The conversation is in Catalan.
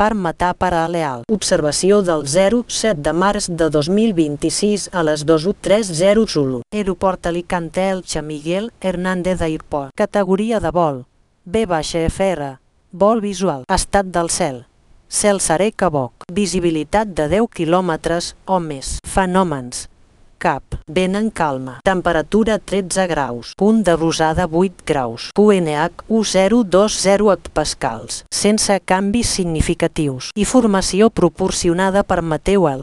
per matar per a Leal. Observació del 07 de març de 2026 a les 2:30 Zulu. Aeroport Alicante Elche Miguel Hernández Airport. Categoria de vol B-FR. Vol visual. Estat del cel. Cel serè que boc. Visibilitat de 10 km o més. Fenòmens. Cap. Vent en calma. Temperatura 13 graus. Punt de rosada 8 graus. QNH 1020 hectopascals. Sense canvis significatius. Informació proporcionada per Mateu El.